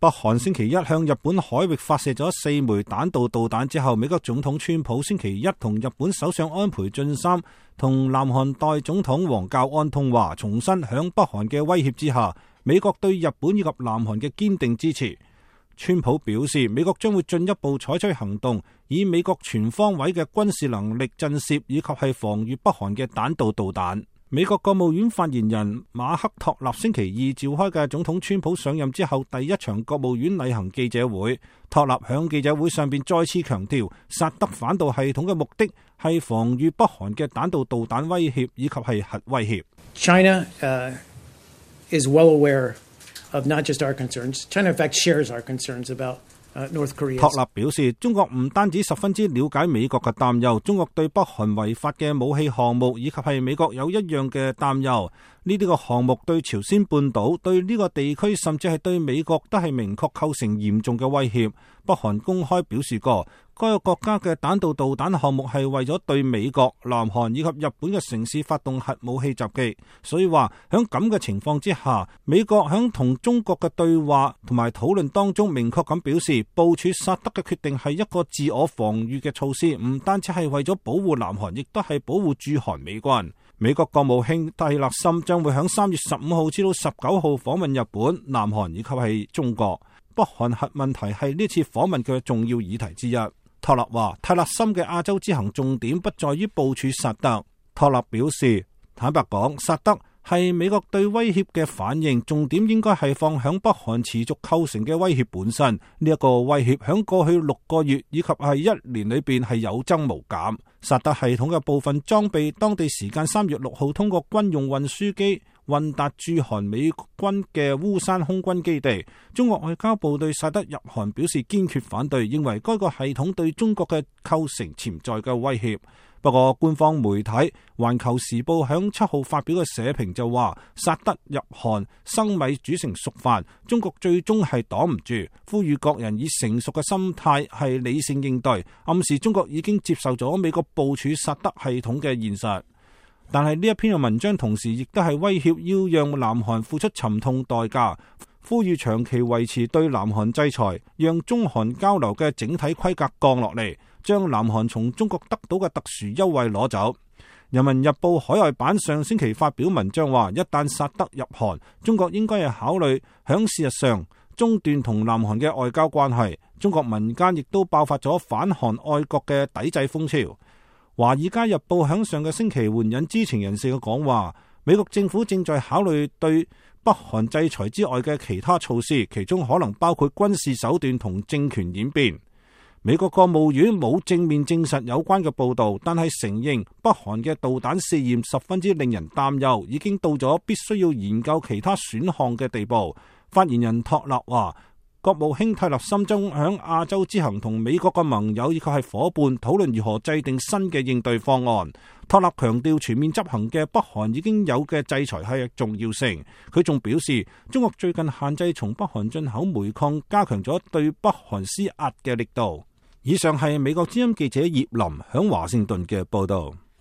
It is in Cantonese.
北韓星期一向日本海域發射咗4枚彈道導彈之後，美國總統川普星期一同日本首相安倍晉三同南韓代總統黃教安通話，重申響北韓嘅威脅之下，美國對日本以及南韓嘅堅定支持。川普表示，美國將會進一步採取行動，以美國全方位嘅軍事能力震懾以及係防禦北韓嘅彈道導彈。美國國務院發言人馬克托納星期二召開嘅總統川普上任之後第一場國務院例行記者會，托納響記者會上邊再次強調，薩德反導系統嘅目的係防禦北韓嘅彈道導彈威脅以及係核威脅。China is well aware of not just our concerns. China in fact shares our concerns about North Korea. 托納表示，中國唔單止十分之了解美國嘅擔憂，中國對北韓違法嘅武器項目以及係美國有一樣嘅擔憂。呢啲個項目對朝鮮半島、對呢個地區甚至係對美國都係明確構成嚴重嘅威脅。北韓公開表示過，該個國家嘅彈道導彈項目係為咗對美國、南韓以及日本嘅城市發動核武器襲擊。所以話響咁嘅情況之下，美國響同中國嘅對話同埋討論當中明確咁表示，部署薩德嘅決定係一個自我防禦嘅措施，唔單止係為咗保護南韓，亦都係保護駐韓美軍。美國國務卿蒂勒森將會響3月15號至到19號訪問日本、南韓以及係中國。北韓核問題係呢次訪問嘅重要議題之一。托納話，蒂勒森嘅亞洲之行重點不在於部署薩德。托納表示，坦白講，薩德係美國對威脅嘅反應，重點應該係放響北韓持續構成嘅威脅本身。呢一個威脅響過去6個月以及係1年裏邊係有增無減。薩德系統嘅部分裝備，當地時間3月6號通過軍用運輸機運達駐韓美軍嘅烏山空軍基地。中國外交部對薩德入韓表示堅決反對，認為該個系統對中國嘅構成潛在嘅威脅。不過官方媒體《環球時報》響7號發表嘅社評就話，薩德入韓生米煮成熟飯，中國最終係擋唔住，呼籲各人以成熟嘅心態係理性應對，暗示中國已經接受咗美國部署薩德系統嘅現實。但係呢一篇嘅文章同時亦都係威脅要讓南韓付出沉痛代價，呼籲長期維持對南韓制裁，讓中韓交流嘅整體規格降落嚟，將南韓從中國得到嘅特殊優惠攞走。人民日報海外版上星期發表文章話，一旦薩德入韓，中國應該係考慮響事實上中斷同南韓嘅外交關係。中國民間亦都爆發咗反韓愛國嘅抵制風潮。華爾街日報響上個星期援引知情人士嘅講話，美國政府正在考慮對北韓制裁之外嘅其他措施，其中可能包括軍事手段同政權演變。美國國務院冇正面證實有關嘅報導，但係承認北韓嘅導彈試驗十分之令人擔憂，已經到咗必須要研究其他選項嘅地步。發言人托納話，國務卿蒂勒森將響亞洲之行同美國嘅盟友以及係夥伴討論如何制定新嘅應對方案。托納強調全面執行嘅北韓已經有嘅制裁係重要性。佢仲表示，中國最近限制從北韓進口煤礦，加強咗對北韓施壓嘅力度。以上係美國之音記者葉林響華盛頓嘅報道。